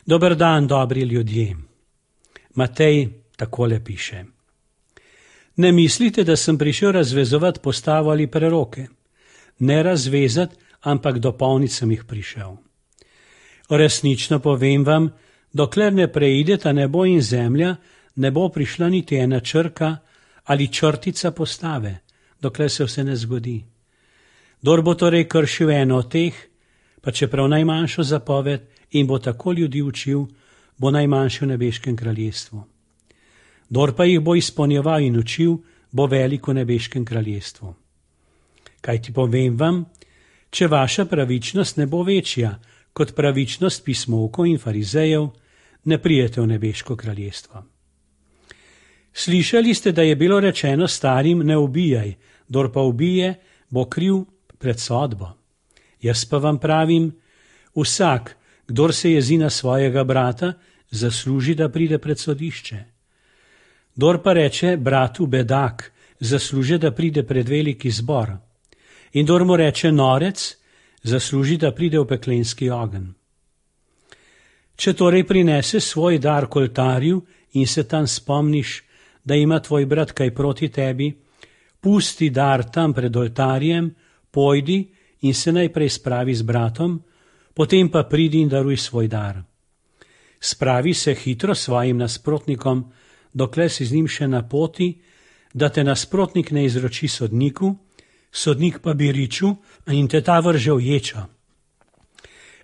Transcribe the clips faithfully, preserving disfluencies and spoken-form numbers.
Dober dan, dobri ljudje. Matej takole piše. Ne mislite, da sem prišel razvezovati postavo ali preroke. Ne razvezati, ampak dopolniti sem jih prišel. Resnično povem vam, dokler ne preideta nebo in zemlja, ne bo prišla niti ena črka ali črtica postave, dokler se vse ne zgodi. Kdor bo torej kršil eno od teh, pa čeprav najmanjšo zapoved in bo tako ljudi učil, bo najmanjši v nebeškem kraljestvu. Kdor pa jih bo izpolnjeval in učil, bo velik v nebeškem kraljestvu. Kaj ti povem vam, če vaša pravičnost ne bo večja kot pravičnost pismovkov in farizejev, ne prijete v nebeško kraljestvo. Slišali ste, da je bilo rečeno starim, ne ubijaj, kdor pa ubije, bo kriv pred sodbo. Jaz pa vam pravim, vsak, kdor se jezi na svojega brata, zasluži, da pride pred sodišče. Kdor pa reče bratu bedak, zasluži, da pride pred veliki zbor. In kdor mu reče norec, zasluži, da pride v peklenski ogenj. Če torej prinese svoj dar k oltarju in se tam spomniš, da ima tvoj brat kaj proti tebi, pusti dar tam pred oltarjem, pojdi in se najprej spravi z bratom, potem pa pridi in daruj svoj dar. Spravi se hitro svojim nasprotnikom, dokler si z njim še na poti, da te nasprotnik ne izroči sodniku, sodnik pa bi riču in te ta vrže v ječo.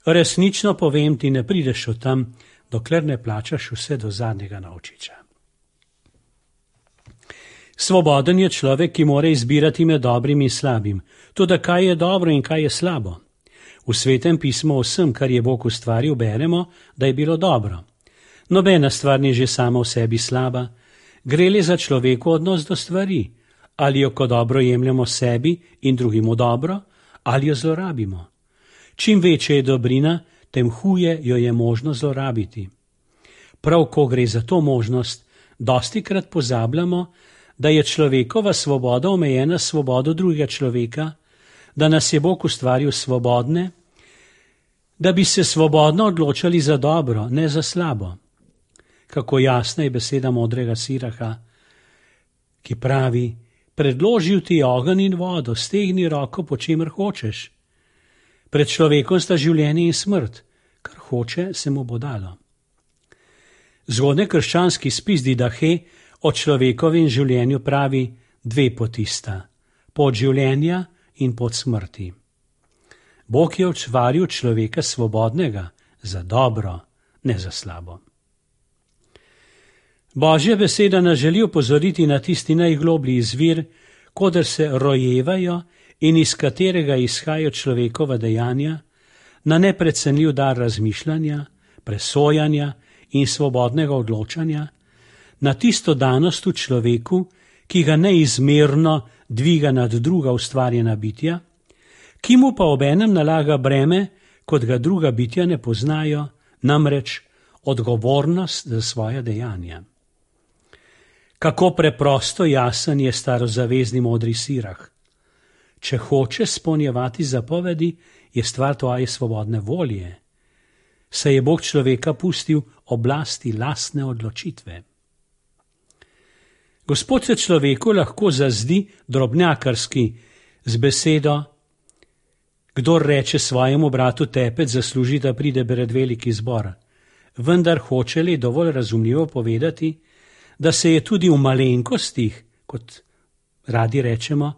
Resnično povem ti, ne prideš od tam, dokler ne plačaš vse do zadnjega novčiča. Svoboden je človek, ki mora izbirati med dobrim in slabim, toda kaj je dobro in kaj je slabo. V Svetem pismu o vsem, kar je Bog ustvaril, beremo, da je bilo dobro. Nobena stvar ni že sama v sebi slaba, gre le za človeku odnos do stvari, ali jo kot dobro jemljemo sebi in drugim v dobro, ali jo zlorabimo. Čim večja je dobrina, tem huje jo je možno zlorabiti. Prav ko gre za to možnost, dostikrat pozabljamo, da je človekova svoboda omejena s svobodo drugega človeka, da nas je Bog ustvaril svobodne, da bi se svobodno odločali za dobro, ne za slabo. Kako jasna je beseda modrega Siraha, ki pravi, predložil ti ogenj in vodo, stegni roko, po čemer hočeš. Pred človekom sta življenje in smrt, kar hoče, se mu bo dalo. Zgodnji krščanski spis Didahe o človekovem življenju pravi dve poti sta, pot življenja in pot smrti. Bog je ustvaril človeka svobodnega za dobro, ne za slabo. Božja beseda nas želi opozoriti na tisti najgloblji izvir, koder se rojevajo in iz katerega izhajajo človekova dejanja, na neprecenljiv dar razmišljanja, presojanja in svobodnega odločanja, na tisto danost v človeku, ki ga neizmerno dviga nad druga ustvarjena bitja, ki mu pa obenem nalaga breme, kot ga druga bitja ne poznajo, namreč odgovornost za svoja dejanja. Kako preprosto jasen je starozavezni modri Sirah. Če hočeš spolnjevati zapovedi, je stvar tvoje svobodne volje. Saj je Bog človeka pustil oblasti lastne odločitve. Gospod se človeku lahko zazdi drobnjakarski z besedo, kdor reče svojemu bratu tepec, zasluži, da pride pred veliki zbor. Vendar hoče li dovolj razumljivo povedati, da se je tudi v malenkostih, kot radi rečemo,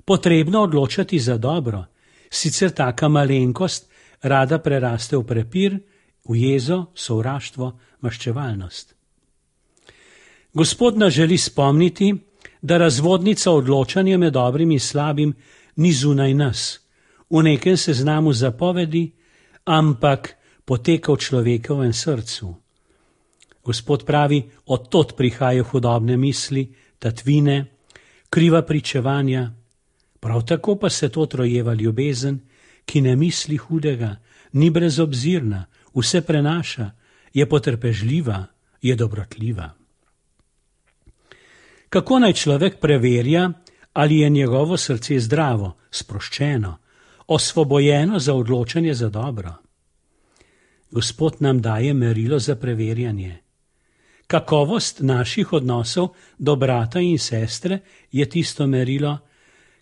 potrebno odločati za dobro, sicer taka malenkost rada preraste v prepir, v jezo, sovraštvo, maščevalnost. Gospod nas želi spomniti, da razvodnica odločanja med dobrim in slabim ni zunaj nas, v nekem seznamu zapovedi, ampak poteka v človekovem srcu. Gospod pravi, odtod prihajajo hudobne misli, tatvine, kriva pričevanja, prav tako pa se to trojeva ljubezen, ki ne misli hudega, ni brezobzirna, vse prenaša, je potrpežljiva, je dobrotljiva. Kako naj človek preverja, ali je njegovo srce zdravo, sproščeno, osvobojeno za odločanje za dobro? Gospod nam daje merilo za preverjanje. Kakovost naših odnosov do brata in sestre je tisto merilo,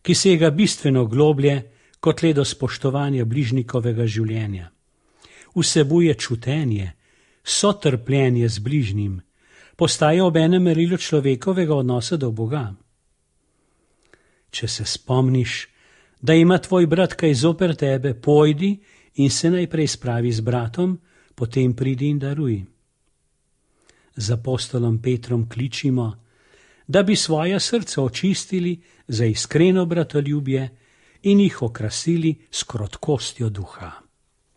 ki sega bistveno globlje kot le do spoštovanja bližnjikovega življenja. Vsebuje čutenje, sotrpljenje z bližnjim, postaje obenem merilo človekovega odnosa do Boga. Če se spomniš, da ima tvoj brat kaj zoper tebe, pojdi in se najprej spravi z bratom, potem pridi in daruj. Z apostolom Petrom kličimo, da bi svoja srca očistili za iskreno bratoljubje in jih okrasili s krotkostjo duha.